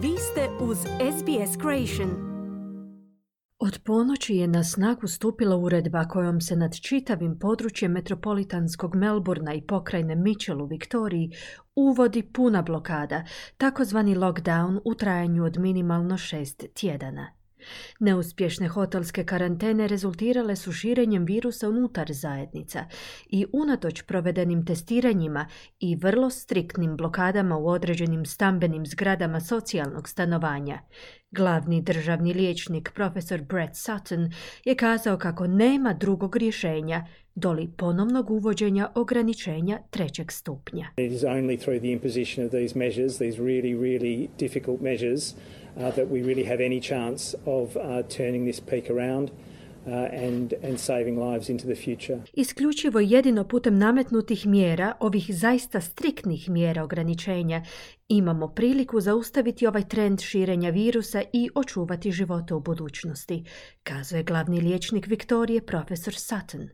Vi ste uz SBS Creation. Od ponoći je na snagu stupila uredba kojom se nad čitavim područjem metropolitanskog Melbourna i pokrajine Mitchell u Viktoriji uvodi puna blokada, takozvani lockdown u trajanju od minimalno 6 tjedana. Neuspješne hotelske karantene rezultirale su širenjem virusa unutar zajednica i unatoč provedenim testiranjima i vrlo striktnim blokadama u određenim stambenim zgradama socijalnog stanovanja, glavni državni liječnik profesor Brett Sutton je kazao kako nema drugog rješenja doli ponovnog uvođenja ograničenja 3. stupnja. It is only through the imposition of these measures, these really difficult measures, that we really have any chance of turning this peak around and saving lives into the future. Isključivo jedino putem nametnutih mjera, ovih zaista striktnih mjera ograničenja, imamo priliku zaustaviti ovaj trend širenja virusa i očuvati živote u budućnosti, kazuje glavni liječnik Viktorije profesor Sutton.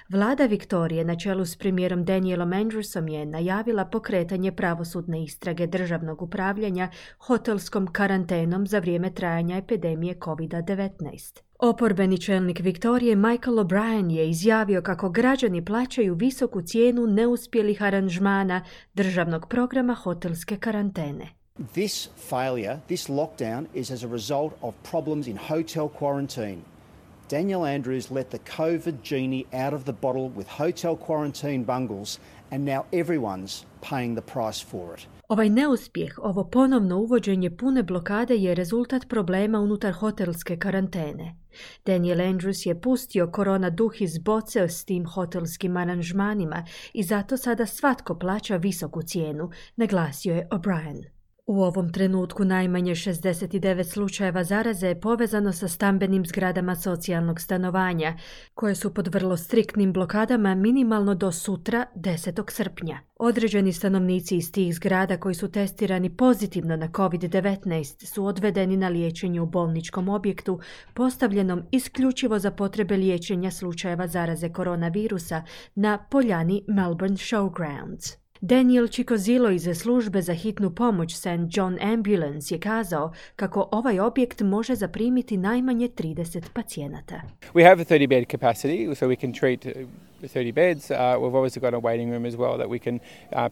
Vlada Viktorije na čelu s premijerom Danielom Andrewsom je najavila pokretanje pravosudne istrage državnog upravljanja hotelskom karantenom za vrijeme trajanja epidemije COVID-19. Oporbeni čelnik Viktorije Michael O'Brien je izjavio kako građani plaćaju visoku cijenu neuspjelih aranžmana državnog programa hotelske karantene. This failure, this lockdown is as a result of problems in hotel quarantine. Daniel Andrews let the COVID genie out of the bottle with hotel quarantine bungles and now everyone's paying the price for it. Ovaj neuspjeh, ovo ponovno uvođenje pune blokade je rezultat problema unutar hotelske karantene. Daniel Andrews je pustio korona duh iz boce s tim hotelskim aranžmanima i zato sada svatko plaća visoku cijenu, naglasio je O'Brien. U ovom trenutku najmanje 69 slučajeva zaraze je povezano sa stambenim zgradama socijalnog stanovanja, koje su pod vrlo striktnim blokadama minimalno do sutra, 10. srpnja. Određeni stanovnici iz tih zgrada koji su testirani pozitivno na COVID-19 su odvedeni na liječenje u bolničkom objektu postavljenom isključivo za potrebe liječenja slučajeva zaraze koronavirusa na poljani Melbourne Showgrounds. Daniel Chicozilo iz službe za hitnu pomoć St. John Ambulance je kazao kako ovaj objekt može zaprimiti najmanje 30 pacijenata. We have a 30 bed capacity, so we can treat 30 beds. We've obviously got a waiting room as well that we can,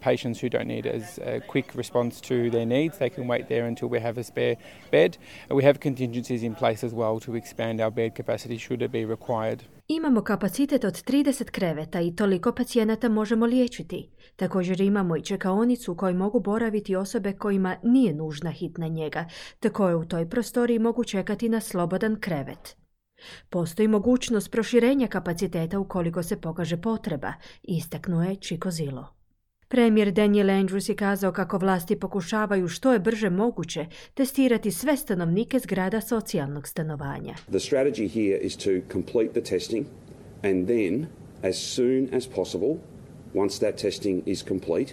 patients who don't need as a quick response to their needs, they can wait there until we have a spare bed. We have contingencies in place as well to expand our bed capacity should it be required. Imamo kapacitet od 30 kreveta i toliko pacijenata možemo liječiti. Također imamo i čekaonicu u kojoj mogu boraviti osobe kojima nije nužna hitna njega, te koje u toj prostoriji mogu čekati na slobodan krevet. Postoji mogućnost proširenja kapaciteta ukoliko se pokaže potreba, istaknuo je Chicozilo. Premijer Daniel Andrews je kazao kako vlasti pokušavaju što je brže moguće testirati sve stanovnike zgrada socijalnog stanovanja. The strategy here is to complete the testing and then as soon as possible, once that testing is complete,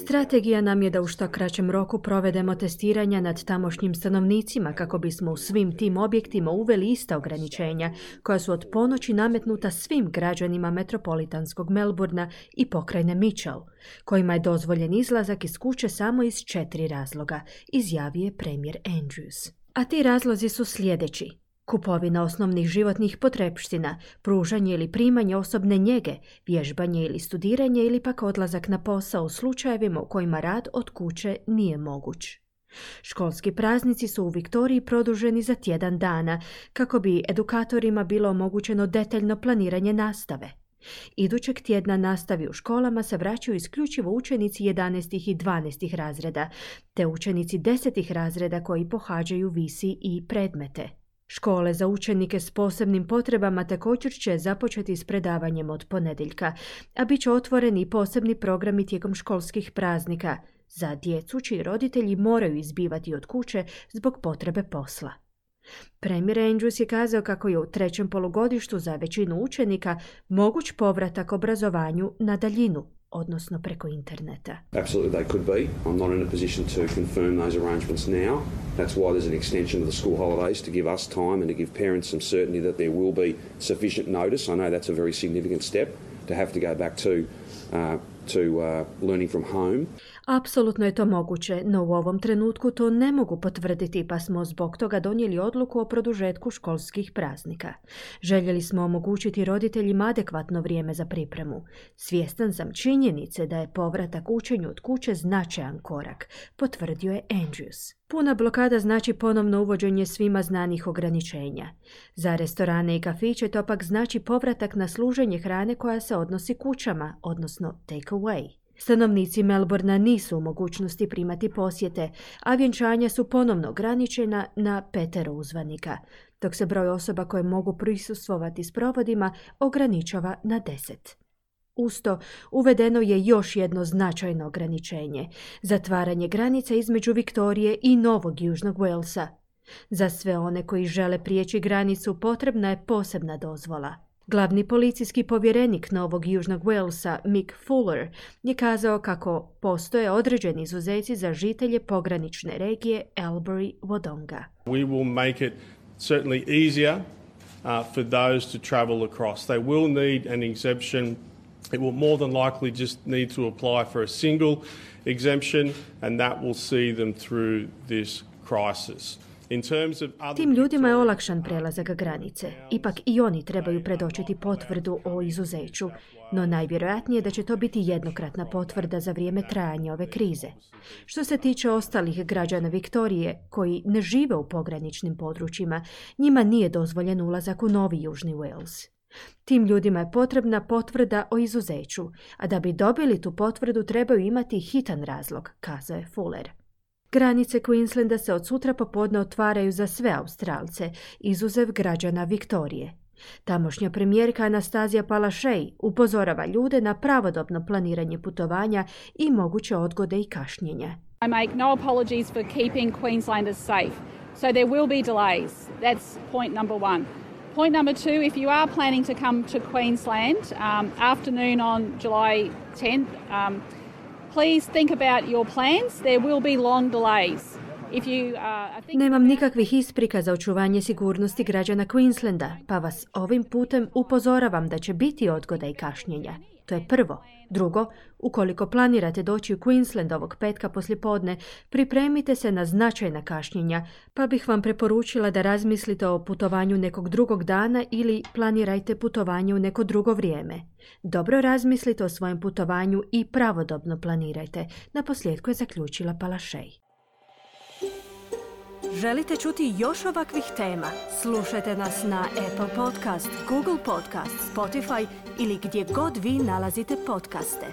strategija nam je da u što kraćem roku provedemo testiranja nad tamošnjim stanovnicima kako bismo u svim tim objektima uveli ista ograničenja koja su od ponoći nametnuta svim građanima metropolitanskog Melbourna i pokrajine Mitchell, kojima je dozvoljen izlazak iz kuće samo iz 4 razloga, izjavio je premijer Andrews. A ti razlozi su sljedeći: kupovina osnovnih životnih potrepština, pružanje ili primanje osobne njege, vježbanje ili studiranje ili pak odlazak na posao u slučajevima u kojima rad od kuće nije moguć. Školski praznici su u Viktoriji produženi za tjedan dana kako bi edukatorima bilo omogućeno detaljno planiranje nastave. Idućeg tjedna nastavi u školama se vraćaju isključivo učenici 11. i 12. razreda, te učenici 10. razreda koji pohađaju VC i predmete. Škole za učenike s posebnim potrebama također će započeti s predavanjem od ponedjeljka, a bit će otvoreni i posebni programi tijekom školskih praznika za djecu čiji roditelji moraju izbivati od kuće zbog potrebe posla. Premijer Andrews je kazao kako je u 3. polugodištu za većinu učenika moguć povratak obrazovanju na daljinu, odnosno preko interneta. Absolutely they could be. I'm not in a position to confirm those arrangements now. That's why there's an extension of the school holidays to give us time and to give parents some certainty that there will be sufficient notice. I know that's a very significant step to have to go back to learning from home. Apsolutno je to moguće, no u ovom trenutku to ne mogu potvrditi, pa smo zbog toga donijeli odluku o produžetku školskih praznika. Željeli smo omogućiti roditeljima adekvatno vrijeme za pripremu. Svjestan sam činjenice da je povratak učenju od kuće značajan korak, potvrdio je Andrews. Puna blokada znači ponovno uvođenje svima znanih ograničenja. Za restorane i kafiće to pak znači povratak na služenje hrane koja se odnosi kućama, odnosno take away. Stanovnici Melbourna nisu u mogućnosti primati posjete, a vjenčanja su ponovno ograničena na 5 uzvanika, dok se broj osoba koje mogu prisustvovati sprovodima ograničava na 10. Uz to, uvedeno je još jedno značajno ograničenje, zatvaranje granice između Viktorije i Novog Južnog Walesa. Za sve one koji žele prijeći granicu potrebna je posebna dozvola. Glavni policijski povjerenik Novog Južnog Walesa, Mick Fuller, je kazao kako postoje određeni izuzeci za žitelje pogranične regije Albury-Wodonga. We will make it certainly easier for those to travel across. They will need an exemption. It will more than likely just need to apply for a single exemption, and that will see them through this crisis. Tim ljudima je olakšan prelazak granice. Ipak i oni trebaju predočiti potvrdu o izuzeću, no najvjerojatnije je da će to biti jednokratna potvrda za vrijeme trajanja ove krize. Što se tiče ostalih građana Viktorije koji ne žive u pograničnim područjima, njima nije dozvoljen ulazak u Novi Južni Wales. Tim ljudima je potrebna potvrda o izuzeću, a da bi dobili tu potvrdu trebaju imati hitan razlog, kazao je Fuller. Granice Queenslanda se od sutra popodne otvaraju za sve Australce, izuzev građana Viktorije. Tamošnja premijerka Anastazija Palaszczuk upozorava ljude na pravodobno planiranje putovanja i moguće odgode i kašnjenja. I make no apologies for keeping Queenslanders safe. So there will be delays. That's point number one. Point number two, if you are planning to come to Queensland afternoon on July 10th, please think about your plans. There will be long delays. Nemam nikakvih isprika za očuvanje sigurnosti građana Queenslanda, pa vas ovim putem upozoravam da će biti odgoda i kašnjenja. To je prvo. Drugo, ukoliko planirate doći u Queensland ovog petka poslijepodne, pripremite se na značajna kašnjenja, pa bih vam preporučila da razmislite o putovanju nekog drugog dana ili planirajte putovanje u neko drugo vrijeme. Dobro razmislite o svojem putovanju i pravodobno planirajte, naposljetku je zaključila Palaszczuk. Želite čuti još ovakvih tema? Slušajte nas na Apple Podcast, Google Podcast, Spotify ili gdje god vi nalazite podcaste.